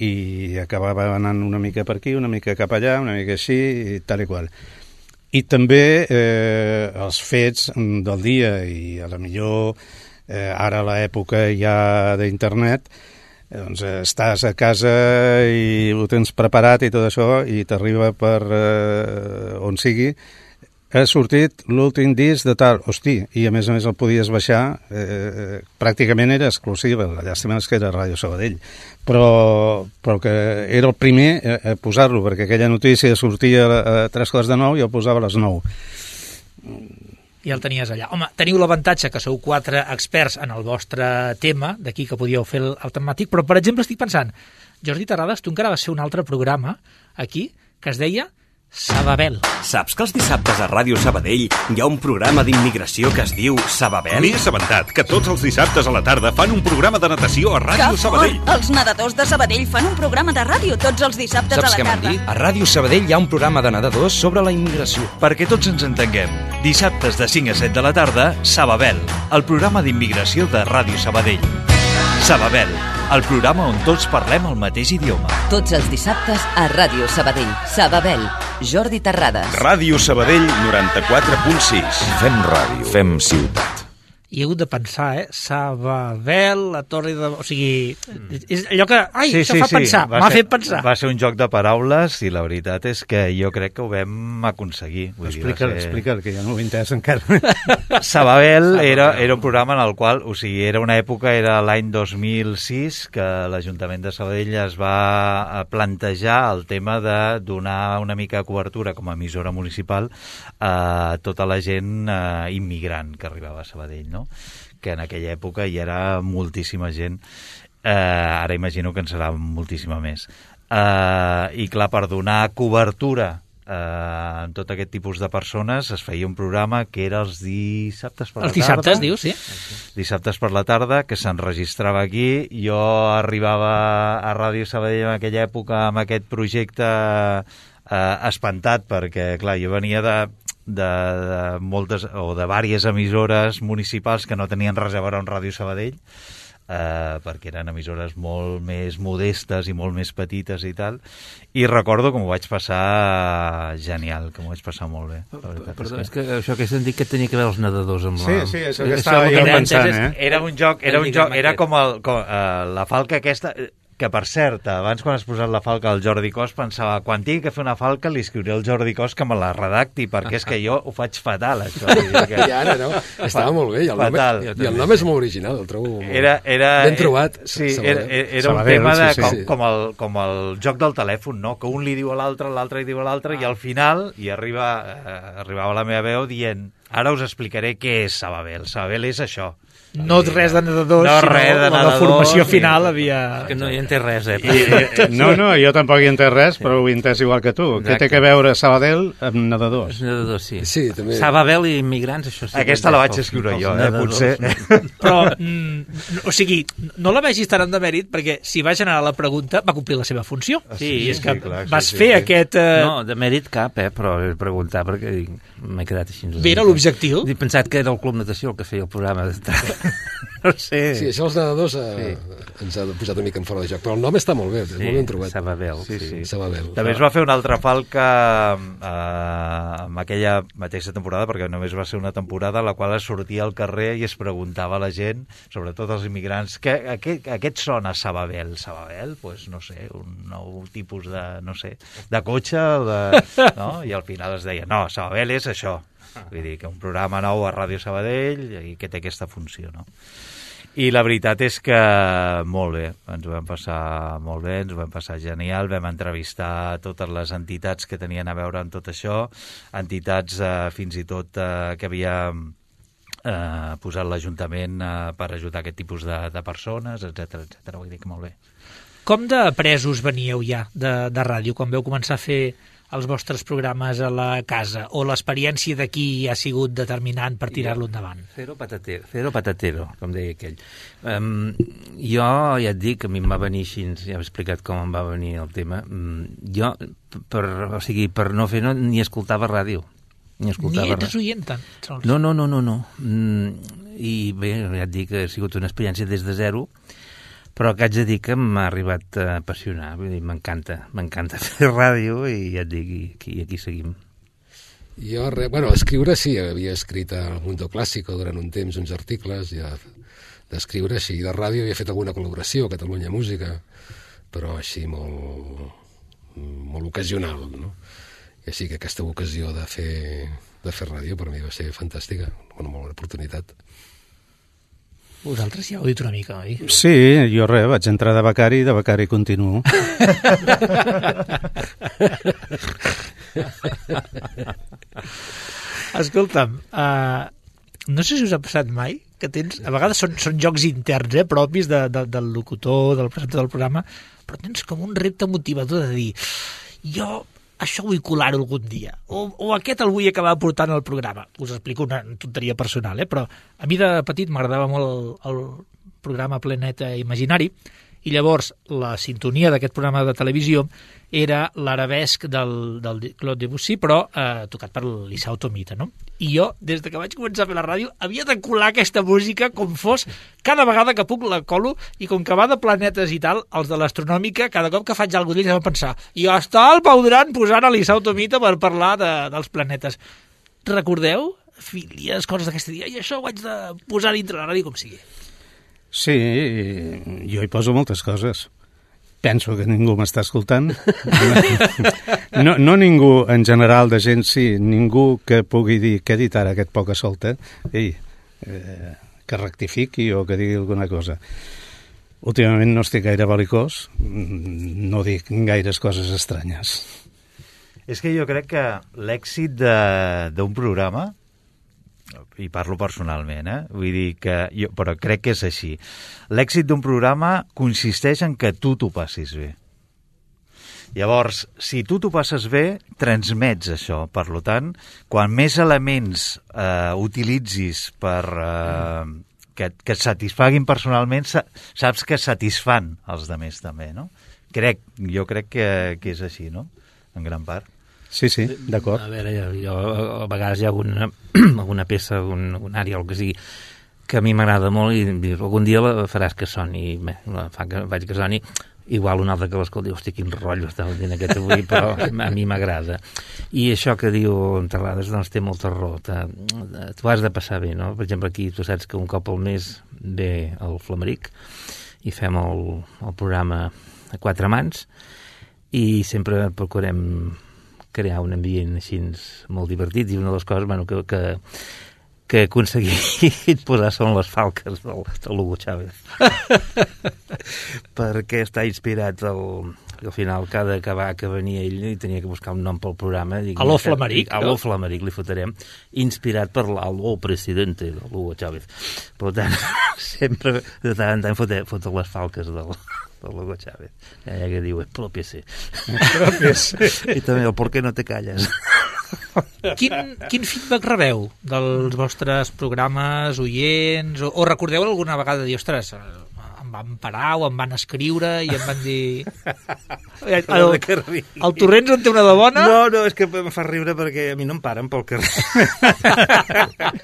i acabava anant una mica per aquí, una mica cap allà, una mica així i tal i qual. I també eh, els fets del dia i a la millor eh, ara a l'època ja d'internet, eh, doncs estàs a casa i ho tens preparat i tot això i t'arriba per eh, on sigui. Ha sortit l'últim disc de tal, hosti, i a més a més el podies baixar, eh, pràcticament era exclusiva, la llàstima és que era Ràdio Sabadell, però, però que era el primer a, a posar-lo, perquè aquella notícia sortia a tres quarts de nou i el posava a les nou. I el tenies allà. Home, teniu l'avantatge que sou quatre experts en el vostre tema, d'aquí que podíeu fer el, el temàtic, però per exemple estic pensant, Jordi Terrades, tu encara vas fer un altre programa aquí que es deia Sababel. Saps que els dissabtes a Ràdio Sabadell hi ha un programa d'immigració que es diu Sababel? M'he assabentat que tots els dissabtes a la tarda fan un programa de natació a Ràdio Sabadell. Els nedadors de Sabadell fan un programa de ràdio tots els dissabtes Saps a la què tarda. m'han dit? A Ràdio Sabadell hi ha un programa de nedadors sobre la immigració. Perquè tots ens entenguem, dissabtes de cinc a set de la tarda, Sababel, el programa d'immigració de Ràdio Sabadell. Sababel, el programa on tots parlem el mateix idioma. Tots els dissabtes a Ràdio Sabadell. Sababel, Jordi Terrades. Ràdio Sabadell noranta-quatre punt sis. Fem ràdio, fem ciutat. i he hagut de pensar, eh? Sabadell, la torre de... O sigui, és allò que... Ai, sí, això sí, fa sí. pensar, m'ha fet pensar. Va ser un joc de paraules i la veritat és que jo crec que ho vam aconseguir. Explica'l, ser... explica'l, que ja no ho he entès encara. Sabadell era, era un programa en el qual, o sigui, era una època, era l'any dos mil sis, que l'Ajuntament de Sabadell es va plantejar el tema de donar una mica de cobertura com a emissora municipal a tota la gent eh, immigrant que arribava a Sabadell, no? Que en aquella època hi era moltíssima gent, eh, ara imagino que en serà moltíssima més. Eh, I clar, per donar cobertura eh, en tot aquest tipus de persones es feia un programa que era els dissabtes per la tarda. Els dissabtes, dius, sí. Dissabtes per la tarda, que s'enregistrava aquí. Jo arribava a Ràdio Sabadell en aquella època amb aquest projecte eh, espantat, perquè clar, jo venia de... De, de moltes o de diverses emissores municipals que no tenien res a veure amb Ràdio Sabadell, eh, perquè eren emissores molt més modestes i molt més petites i tal, i recordo que m'ho vaig passar genial, que m'ho vaig passar molt bé. La veritat. Perdó, és que això que he sentit que tenia que veure els nedadors amb la... Sí, sí, això que estava jo pensant, eh? Era un joc, era un joc, era com, el, com uh, la falca aquesta... que per cert, abans quan has posat la falca al Jordi Cos pensava, quan tingui que fer una falca li escriuré al Jordi Cos que me la redacti, perquè és que jo ho faig fatal, això. Que... I ara, no? Estava molt bé, i el, nom, i el nom és molt original, el trobo molt... Era, era, ben trobat. Sí, era, era un Sabadell, tema de, sí, sí. com, com, el, com el joc del telèfon, no? Que un li diu a l'altre, l'altre li diu a l'altre, i al final hi arriba, eh, arribava la meva veu dient, ara us explicaré què és Sabadell. Sabadell és això. No res de nedadors, no, sinó res de la nedadors, formació sí. final havia... Que no hi entès res, eh? I, i, no, no, jo tampoc hi he entès res, però ho he entès igual que tu. Exacte. Què té que veure Sabadell amb nedadors? Nedadors, sí. Sí, també. Sabadell i immigrants, això sí. Aquesta la vaig escriure jo, eh, potser. Però, mm, o sigui, no la vegis tan en demèrit, perquè si va generar la pregunta, va complir la seva funció. Sí, I és que sí, clar, vas sí, fer sí, aquest... Sí. Eh... No, de mèrit cap, eh, però he preguntat perquè m'he quedat així. Bé, era l'objectiu. He pensat que era el Club Natació el que feia el programa. No sé. Sí, això els nedadors eh, sí. ens ha posat una mica en fora de joc, però el nom està molt bé, és sí, molt ben trobat. Sabadell. Sí, sí. Sabadell. També es va fer una altra falca eh, en aquella mateixa temporada, perquè només va ser una temporada en la qual es sortia al carrer i es preguntava a la gent, sobretot als immigrants, que, a, què, a què et sona Sabadell? Sabadell? Pues, no sé, un nou tipus de, no sé, de cotxe, de, no? I al final es deia, no, Sabadell és això. Vull dir, que un programa nou a Ràdio Sabadell i que té aquesta funció, no? I la veritat és que molt bé, ens ho vam passar molt bé, ens ho vam passar genial, vam entrevistar totes les entitats que tenien a veure amb tot això, entitats eh, fins i tot eh, que havia eh, posat l'Ajuntament eh, per ajudar aquest tipus de, de persones, etcètera, etcètera. Vull dir que molt bé. Com de presos veníeu ja de, de ràdio quan vau començar a fer els vostres programes a la casa, o l'experiència d'aquí ha sigut determinant per tirar-lo endavant? Cero patatero, cero patatero, com deia aquell. Um, jo ja et dic que a mi em va venir així, ja he explicat com em va venir el tema. Um, jo, per, o sigui, per no fer, no, ni escoltava ràdio. Ni escoltava Ni ets oient tant, sols. No, no, no, no. no. Mm, I bé, ja et dic que ha sigut una experiència des de zero, però que haig de dir que m'ha arribat a apassionar, vull dir, m'encanta, m'encanta fer ràdio i ja et dic, i aquí, aquí seguim. Jo, re, bueno, escriure sí, havia escrit al Mundo Clásico durant un temps uns articles, ja d'escriure així, de ràdio havia fet alguna col·laboració a Catalunya Música, però així molt, molt ocasional, no? I així que aquesta ocasió de fer, de fer ràdio per mi va ser fantàstica, una molt bona oportunitat. Vosaltres ja heu dit una mica, oi? Sí, jo res, vaig entrar de becari i de becari continuo. Escolta'm, uh, no sé si us ha passat mai que tens, a vegades són, són jocs interns, eh, propis de, de, del locutor, del presentador del programa, però tens com un repte motivador de dir, jo això vull colar-ho algun dia, o, o aquest el vull acabar portant al programa. Us explico una tonteria personal, eh? Però a mi de petit m'agradava molt el, el programa Planeta Imaginari, i llavors la sintonia d'aquest programa de televisió era l'arabesc del, del Claude Debussy, però eh, tocat per l'Isao Tomita, no? I jo, des de que vaig començar a fer la ràdio, havia de colar aquesta música com fos, cada vegada que puc la colo, i com que va de planetes i tal, els de l'astronòmica, cada cop que faig alguna cosa d'ells vam pensar, i està el Pau Duran posant a l'Isao Tomita per parlar de, dels planetes. Recordeu filies, coses d'aquesta dia, i això ho haig de posar dintre la ràdio com sigui. Sí, jo hi poso moltes coses. Penso que ningú m'està escoltant. No, no ningú, en general, de gent, sí, ningú que pugui dir què ha dit ara aquest poca solta, ei, eh, que rectifiqui o que digui alguna cosa. Últimament no estic gaire belicós, no dic gaires coses estranyes. És que jo crec que l'èxit d'un programa, i parlo personalment, eh? Vull dir que jo, però crec que és així. L'èxit d'un programa consisteix en que tu t'ho passis bé. Llavors, si tu t'ho passes bé, transmets això. Per tant, quan més elements eh, utilitzis per eh, que, que et satisfaguin personalment, saps que satisfan els altres també, no? Crec, jo crec que, que és així, no? En gran part. Sí, sí, d'acord. A veure, jo, jo a vegades hi ha alguna, alguna peça, algun, un àrea o el que sigui, que a mi m'agrada molt i dius, algun dia la faràs que soni, bé, la fa que vaig que soni, igual un altre que l'escolti, hosti, quin rotllo estava dient aquest avui, però a mi m'agrada. I això que diu en Terrades, doncs té molta raó. Tu has de passar bé, no? Per exemple, aquí tu saps que un cop al mes ve el Flamaric i fem el, el programa a quatre mans i sempre procurem crear un ambient així molt divertit, i una de les coses, bueno, que, que, que he aconseguit posar són les falques del, del Hugo Chávez. Perquè està inspirat el, al final, cada acabar que venia ell i tenia que buscar un nom pel programa. Dic, Aló Flamaric. Aló Flamaric, li fotrem, inspirat per l'Aló Presidente del Hugo Chávez. Per tant, sempre de tant en tant fotre, fotre les falques del... del Hugo Chávez, ja que diu expropiese. I també el por qué no te calles. Quin, quin feedback rebeu dels vostres programes, oients, o, o recordeu alguna vegada dir, ostres, em van parar o em van escriure i em van dir... El, el Torrents en té una de bona? No, no, és que em fa riure perquè a mi no em paren pel carrer.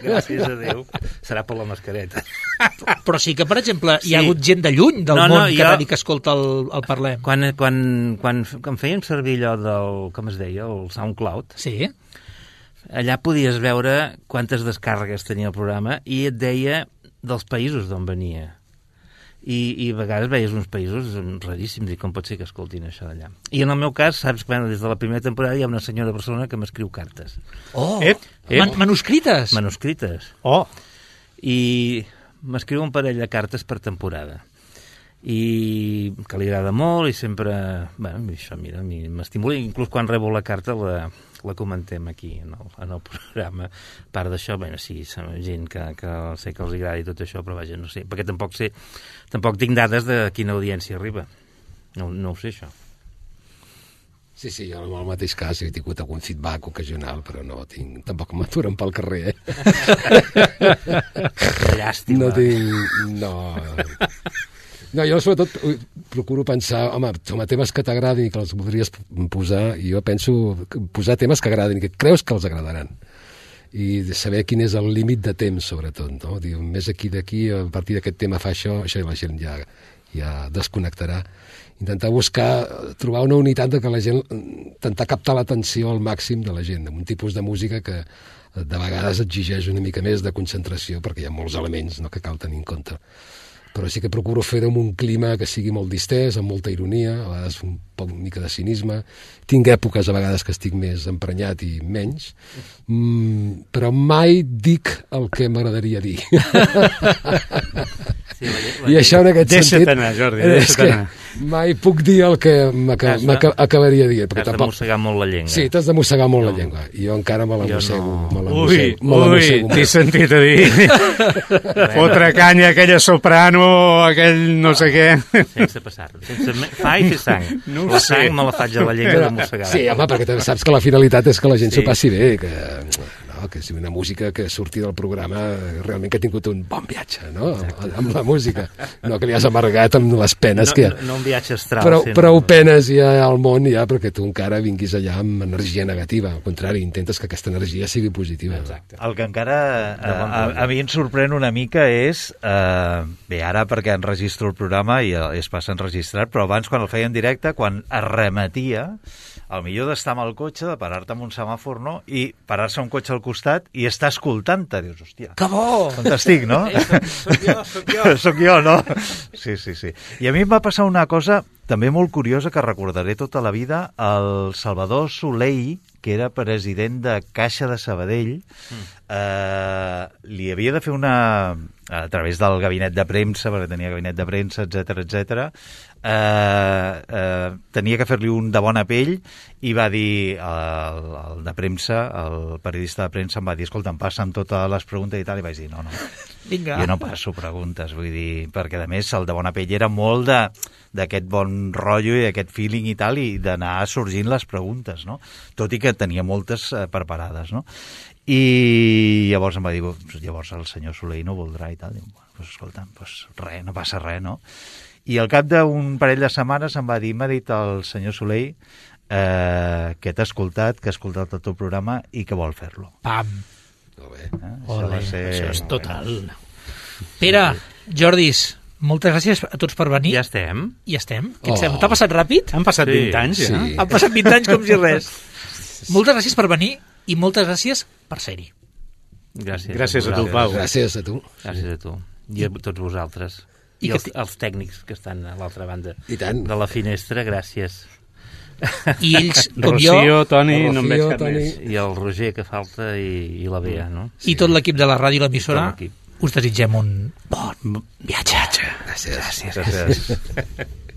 Gràcies a Déu. Serà per la mascareta. Però sí que, per exemple, hi ha hagut gent de lluny del no, món no, que jo... va dir que escolta el, el Parlem. Quan, quan, quan, quan fèiem servir allò del, com es deia, el SoundCloud, sí. Allà podies veure quantes descàrregues tenia el programa i et deia dels països d'on venia. I, i a vegades veies uns països raríssims i com pot ser que escoltin això d'allà. I en el meu cas, saps, bueno, des de la primera temporada hi ha una senyora persona que m'escriu cartes. Oh! Ep, ep. Man manuscrites? Manuscrites. Oh! I m'escriu un parell de cartes per temporada. I que li agrada molt i sempre... Bueno, això, mira, m'estimula. Inclús quan rebo la carta la, la comentem aquí en el, en el programa. A part d'això, bueno, sí, gent que, que sé que els agrada i tot això, però vaja, no sé, perquè tampoc sé, tampoc tinc dades de quina audiència arriba. No, no ho sé, això. Sí, sí, jo en el mateix cas he tingut algun feedback ocasional, però no tinc... Tampoc m'aturen pel carrer, eh? Llàstima. No tinc... No... No, jo sobretot procuro pensar, home, home temes que t'agradin i que els voldries posar, i jo penso posar temes que agradin, que creus que els agradaran. I saber quin és el límit de temps, sobretot, no? Diu, més aquí d'aquí, a partir d'aquest tema fa això, això i la gent ja, ja desconnectarà. Intentar buscar, trobar una unitat de que la gent, intentar captar l'atenció al màxim de la gent, amb un tipus de música que de vegades exigeix una mica més de concentració, perquè hi ha molts elements, no?, que cal tenir en compte. Però sí que procuro fer-ho amb un clima que sigui molt distès, amb molta ironia, a vegades un poc una mica de cinisme. Tinc èpoques a vegades que estic més emprenyat i menys, mm, però mai dic el que m'agradaria dir. Sí, la, la, I això en aquest deixa't sentit... Deixa't anar, Jordi, deixa't anar. Mai puc dir el que m'acabaria de dir. Has de mossegar molt la llengua. Sí, t'has de mossegar molt no. la llengua. I jo encara me la mossego. No. Me la mossego, ui, me la ui, t'he sentit a dir. Fotre canya, aquella soprano, aquell no sé què. Sense passar. Sense fa i fer sang. No la sang sé. Me la faig a la llengua de mossegar. Sí, home, perquè saps que la finalitat és que la gent s'ho sí. passi bé, que... No, que és una música que surti del programa realment que ha tingut un bon viatge, no? Amb, amb la música, no que li has amargat amb les penes no, que hi ha. No, no un viatge astral. Però, sí, prou no. penes hi ha al món ja perquè tu encara vinguis allà amb energia negativa. Al contrari, intentes que aquesta energia sigui positiva. Exacte. El que encara a, a, a mi em sorprèn una mica és, eh, bé, ara perquè enregistro el programa i es passa enregistrat, però abans quan el feia en directe, quan es remetia, el millor d'estar amb el cotxe, de parar-te en un semàfor, no? I parar-se un cotxe al costat i estar escoltant-te. Dius, hòstia, que bo! Fantàstic, no? Eh, soc jo, soc jo. Soc jo, no? Sí, sí, sí. I a mi em va passar una cosa també molt curiosa que recordaré tota la vida. El Salvador Soleil, que era president de Caixa de Sabadell, mm. eh, li havia de fer una... a través del gabinet de premsa, perquè tenia gabinet de premsa, etcètera, etcètera, eh, eh, tenia que fer-li un de bona pell i va dir, el, el de premsa, el periodista de premsa em va dir, escolta, em passen totes les preguntes i tal, i vaig dir, no, no, Vinga. jo no passo preguntes, vull dir, perquè a més el de bona pell era molt de d'aquest bon rotllo i aquest feeling i tal, i d'anar sorgint les preguntes, no? Tot i que tenia moltes eh, preparades, no? I llavors em va dir, llavors el senyor Soleil no voldrà i tal. Diu, bueno, pues, escolta, pues, res, no passa res, no? I al cap d'un parell de setmanes em va dir, m'ha dit el senyor Soleil eh, que t'ha escoltat, que ha escoltat el teu programa i que vol fer-lo. Pam! Molt bé. Eh? Olé, això, ser... això és total. Pere, Jordis, moltes gràcies a tots per venir. Ja estem. Ja estem. Què oh. T'ha passat ràpid? Han passat sí. vint anys, ja. Sí. Han passat vint anys com si res. Moltes gràcies per venir i moltes gràcies per ser-hi. Gràcies, gràcies a, a tu, Pau. Gràcies a tu. Gràcies a tu. I a tots vosaltres. I, I els, els tècnics que estan a l'altra banda I tant. de la finestra, gràcies. I ells, com Rocío, jo... Toni, Rocío, no em veig cap Toni. més. I el Roger, que falta, i, i la Bea, no? I tot l'equip de la ràdio i l'emissora, l'equip. us desitgem un bon viatge. Gràcies. Gràcies.